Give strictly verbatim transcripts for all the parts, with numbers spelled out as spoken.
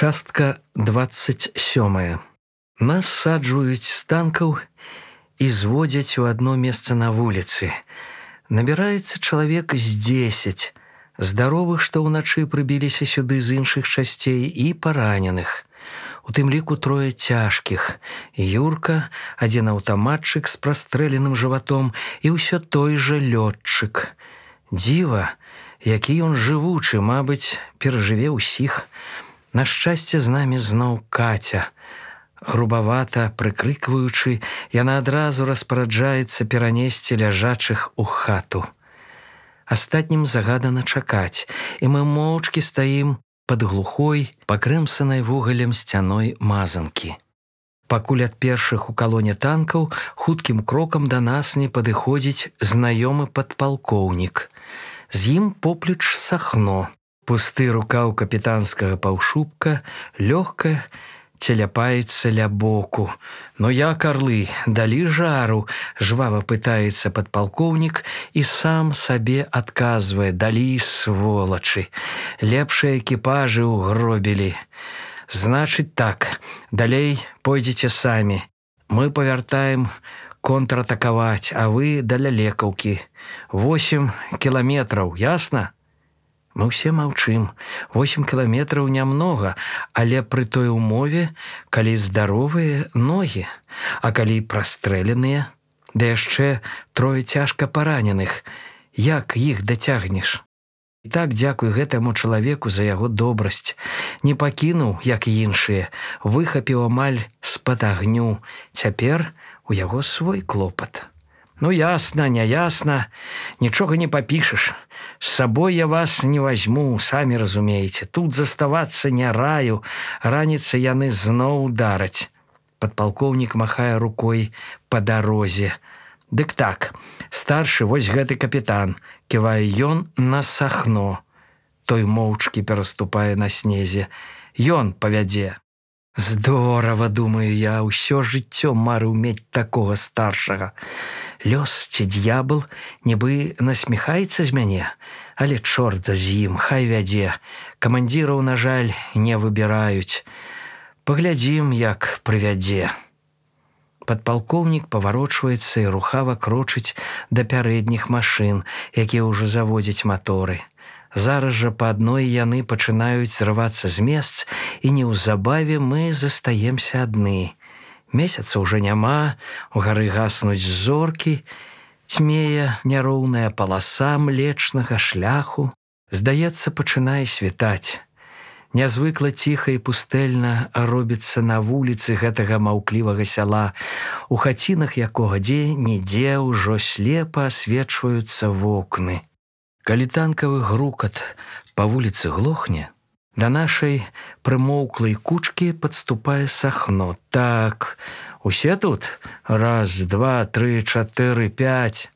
Частка двадцать сёмая. Нас саджваюць з танкаў і зводзяць у адно месца на вуліцы. Набіраецца чалавек з дзесяць, здаровых, што ўначы прыбіліся сюды з іншых часцей, і параненых. У тым ліку трое цяжкіх. Юрка, адзін аўтаматчык з прастрэленым жыватом і ўсё той жа лётчык. Дзіва, які ён жывучы, мабыць, перажыве ўсіх. На шчасце, з намі зноў Каця. Грубавата прыкрыкваючы, яна адразу распараджаецца перанесці ляжачых у хату. Астатнім загадана чакаць, і мы моўчкі стаім пад глухой, пакрэмсанай вугалем сцяной мазанкі. Пакуль ад першых у калоне танкаў хуткім крокам да нас не падыходзіць знаёмы падпалкоўнік. З ім поплеч Сахно. Пусты рукаў капітанскага паўшубка лёгка целяпаецца ля боку. «Ну як, арлы, далі жару?» – жвава пытаецца падпалкоўнік і сам сабе адказвае: «Далі, сволачы, лепшыя экіпажы ўгробілі. Значыць так, далей пойдзеце самі. Мы павяртаем контратакаваць, а вы да лялекаўкі. Восем кіламетраў, ясна?» Мы ўсе маўчым. Восем кіламетраў нямнога, але пры той умове, калі здаровыя ногі, а калі прастрэленыя, да яшчэ трое цяжка параненых. Як іх дацягнеш? І так дзякуй гэтаму чалавеку за яго добрасць. Не пакінуў, як іншыя, выхапіў амаль з-пад агню. Цяпер у яго свой клопат. Ну, ясна, не ясна, нічога не папішаш. З сабой я вас не вазьму, самі разумееце. Тут заставацца не раю, раніца яны зноў удараць. Падпалкоўнік махае рукой па дарозе. Дык так, старшы вось гэты капітан, ківае ён на Сахно. Той моўчкі пераступае на снезе. Ён павядзе. Здорава, думаю я, ўсё жыццё марыў мець такога старшага. Лёс ці д'ябл нібы насміхаецца з мяне, але чорт з ім, хай вядзе. Камандзіраў, на жаль, не выбіраюць. Паглядзім, як прывядзе. Падпалкоўнік паварочваецца і рухава крочыць да пярэдніх машын, якія ўжо заводзяць маторы. Зараз жа па адной яны пачынаюць зрывацца з месц, і неўзабаве мы застаемся адны. Месяца ўжо няма, угары гаснуць зоркі, цьмее няроўная паласа млечнага шляху. Здаецца, пачынае світаць. Нязвыкла ціха і пустэльна робіцца на вуліцы гэтага маўклівага сяла, у хацінах якога дзе-нідзе ўжо слепа асвечваюцца вокны. Калі танкавы грукат па вуліцы глохне, да нашай прымоўклай кучкі падступае Сахно. Так, усе тут? Раз, два, тры, чатыры, пяць.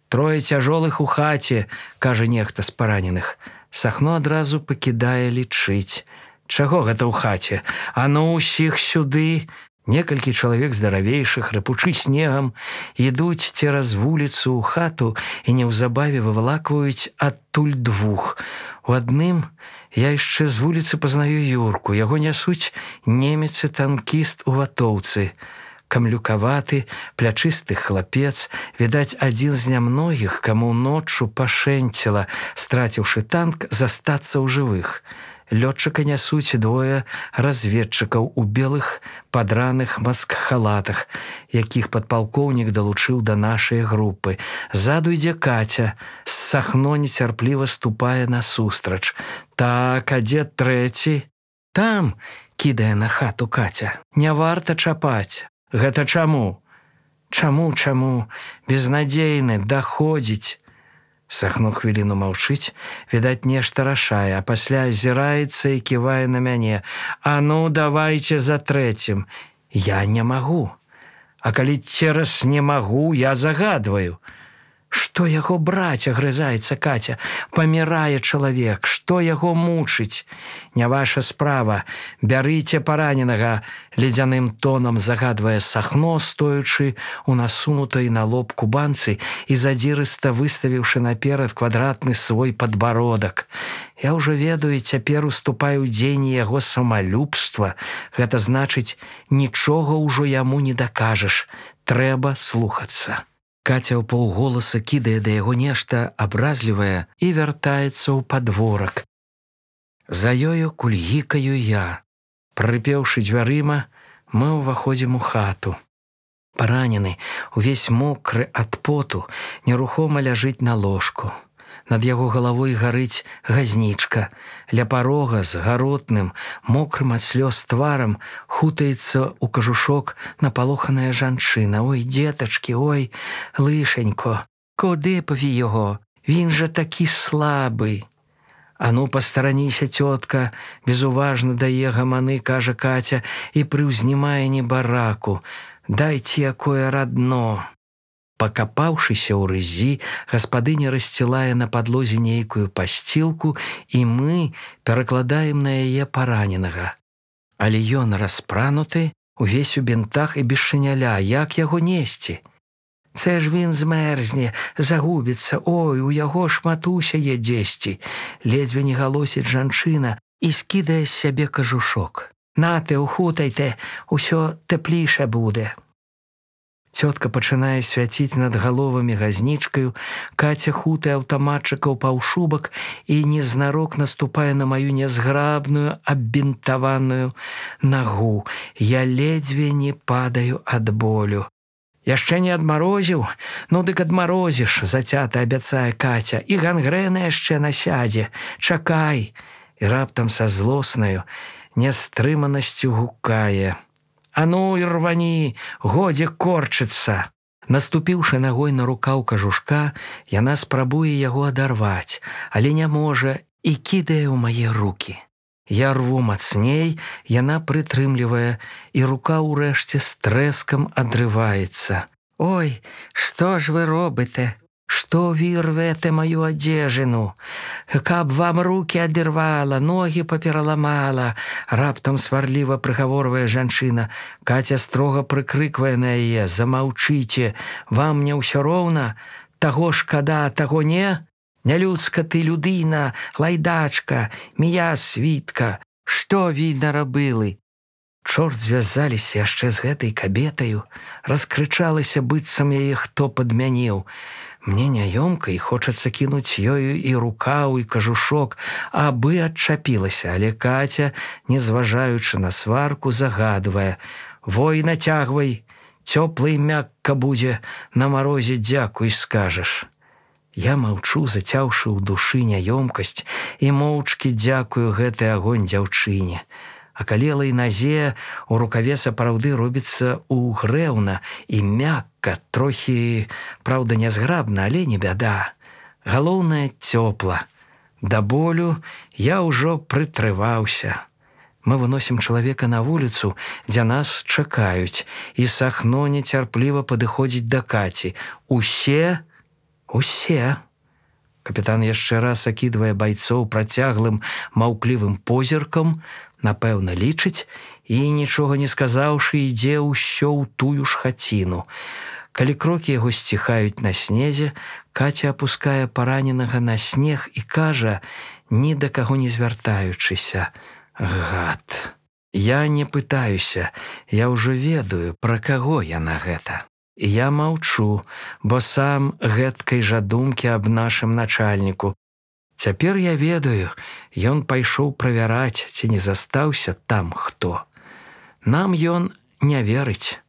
Трое цяжолых у хаце, кажа нехта з параненых. Сахно адразу пакідае лічыць. Чаго гэта ў хаце? А ну ўсіх сюды! Некалькі чалавек здаравейшых, рыпучы снегам, ідуць цераз вуліцу ў хату і неўзабаве вывалакваюць адтуль двух. У адным я яшчэ з вуліцы пазнаю Юрку. Яго нясуць немец і танкіст у ватоўцы. Камлюкаваты, плячысты хлапец, відаць, адзін з нямногіх, каму ноччу пашэнціла, страціўшы танк, застацца ў жывых. Лётчыка нясуць двое разведчыкаў у белых падраных маскхалатах, якіх падпалкоўнік далучыў да нашай групы. Ззаду ідзе Каця, з Сахно нецярпліва ступае насустрач. Так, а дзе трэці? Там, кідае на хату Каця. Не варта чапаць. Гэта чаму? Чаму, чаму? Безнадзейны, даходзіць. Сахно хвіліну маўчыць, відаць, нешта рашае, а пасля азіраецца і ківае на мяне. А ну, давайце за трэцім. Я не магу. А калі цераз не магу, я загадваю. Што яго браць, агрызаецца Катя. Памірае чалавек, што яго мучыць? Не ваша справа. Бярыце параненага, ледзяным тонам загадвае Сахно, стоячы у насунутай на лоб кубанцы і задзірыста выставіўшы наперад квадратны свой падбародак. Я ўжо ведаю, цяпер уступаю ў дзеянні яго самалюбства. Гэта значыць, нічога ўжо яму не дакажаш. Трэба слухацца. Катя ў паўголаса кідае да яго нешта абразлівае і вяртаецца ў падворак. За ёю кульгікаю я. Прыпеўшы дзвярыма, мы ўваходзім у хату. Паранены, увесь мокры ад поту, нерухома ляжыць на ложку. Над яго галавой гарыць газнічка. Ля парога з гаротным, мокрым ад слёз тварам хутаецца ў кажушок напалоханая жанчына. Ой, дзетачкі, ой, лишенько, куди пові його? Він же такі слабий. «Ану, постараніся, тётка», безуважно дае гаманы, кажа Катя, і прыўзнімае небараку. «Дайце якое радно». Пакапаўшыся ў рызі, гаспадыня рассцілае на падлозе нейкую пасцілку, і мы перакладаем на яе параненага. Але ён распрануты, увесь у бінтах і без шыняля. Як яго несці? «Це ж він змерзне, загубіцца, ой, у яго шматуся є дзесьці», ледзьве не галосіць жанчына і скідае з сябе кажушок. «Нате, ухутайте, усё тэпліша будзе». Цётка пачынае свяціць над галовамі газнічкаю, Катя хутае аўтаматчыкаў паўшубак і незнарок наступае на маю нязграбную, аббінтаваную нагу. Я ледзьве не падаю ад болю. «Яшчэ не адмарозіў? Ну дык адмарозіш», зацята абяцае Катя, «і гангрэна яшчэ насядзе. Чакай!» І раптам са злоснаю нястрыманасцю гукае: «А ну і рвані, годзе корчыцца!» Наступіўшы нагой на рукаў кажушка, яна спрабуе яго адарваць, але не можа і кідае ў мае рукі. Я рву мацней, яна прытрымлівае, і рука ўрэшце з трэскам адрываецца. «Ой, што ж вы робите? Што ви рвете мою адзежыну? Каб вам рукі адырвала, ногі папераламала», раптам сварліва прыгаворвае жанчына. Катя строга прыкрыквае на яе: «Замаўчыце, вам не ўсё роўна? Таго шкада, таго не? Нялюдска ты, людына, лайдачка, мія світка, што ви нарабілі?» Чорт звязаліся яшчэ з гэтай кабетаю, раскрычалася, быццам яе хто падмяніў. Мне няёмка і хочацца кінуць ёю і рукаў, і кажушок, абы адчапілася, але Катя, не зважаючы на сварку, загадвае: «Вой, нацягвай, цёпла і мякка будзе, на марозе дзякуй скажаш». Я маўчу, зацяўшы ў душы няёмкасць, і моўчкі дзякую гэты агонь дзяўчыне. Акалелай назе у рукаве сапраўды робіцца угрэўна і мякка, трохі, праўда, нязграбна, але не бяда. Галоўнае, цёпла. Да болю я ўжо прытрываўся. Мы выносім чалавека на вуліцу, дзе нас чакаюць, і Сахно нецярпліва падыходзіць да Каці. «Усе? Усе?» Капітан яшчэ раз акідвае байцоў працяглым, маўклівым позіркам, напэўна, лічыць, і, нічога не сказаўшы, ідзе ўсё ў тую ж хаціну. Калі крокі яго сціхаюць на снезе, Катя апускае параненага на снег і кажа, ні да каго не звяртаючыся: «Гад». Я не пытаюся, я ўжо ведаю, пра каго яна гэта. І я маўчу, бо сам гэткай жа думкі аб нашым начальніку. Цяпер я ведаю, ён пайшоў правяраць, ці не застаўся там хто. Нам ён не верыць.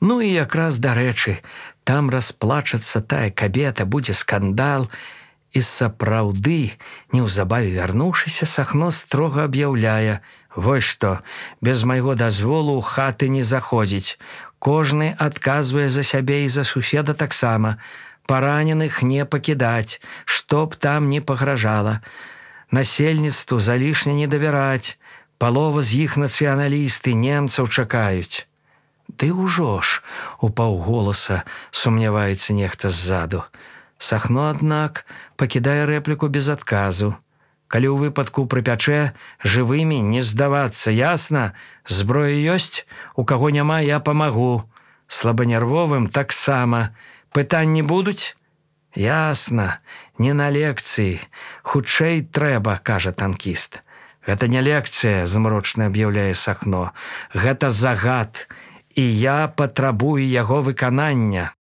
Ну і якраз дарэчы, там расплачацца тая кабета, будзе скандал, і сапраўды, неўзабаве вярнуўшыся, Сахно строга аб'яўляе: «Вось што, без майго дазволу ў хаты не заходзіць. Кожны адказвае за сябе і за суседа таксама. Параненых не пакідаць, што б там не пагражала. Насельніцтву залішне не давяраць. Палова з іх нацыяналісты, немцаў чакаюць». «Ды ўжо ж», — у паўголаса сумняваецца нехта ззаду. Сахно, аднак, пакідае рэпліку без адказу. Калі ў выпадку прыпячэ, жывымі не здавацца, ясна? Зброя ёсць? У каго няма, я памагу. Слабанервовым таксама. Пытанні будуць? Ясна, не на лекцыі. Хутчэй трэба, кажа танкіст. Гэта не лекцыя, змрочна аб'яўляе Сахно. Гэта загад, і я патрабую яго выканання.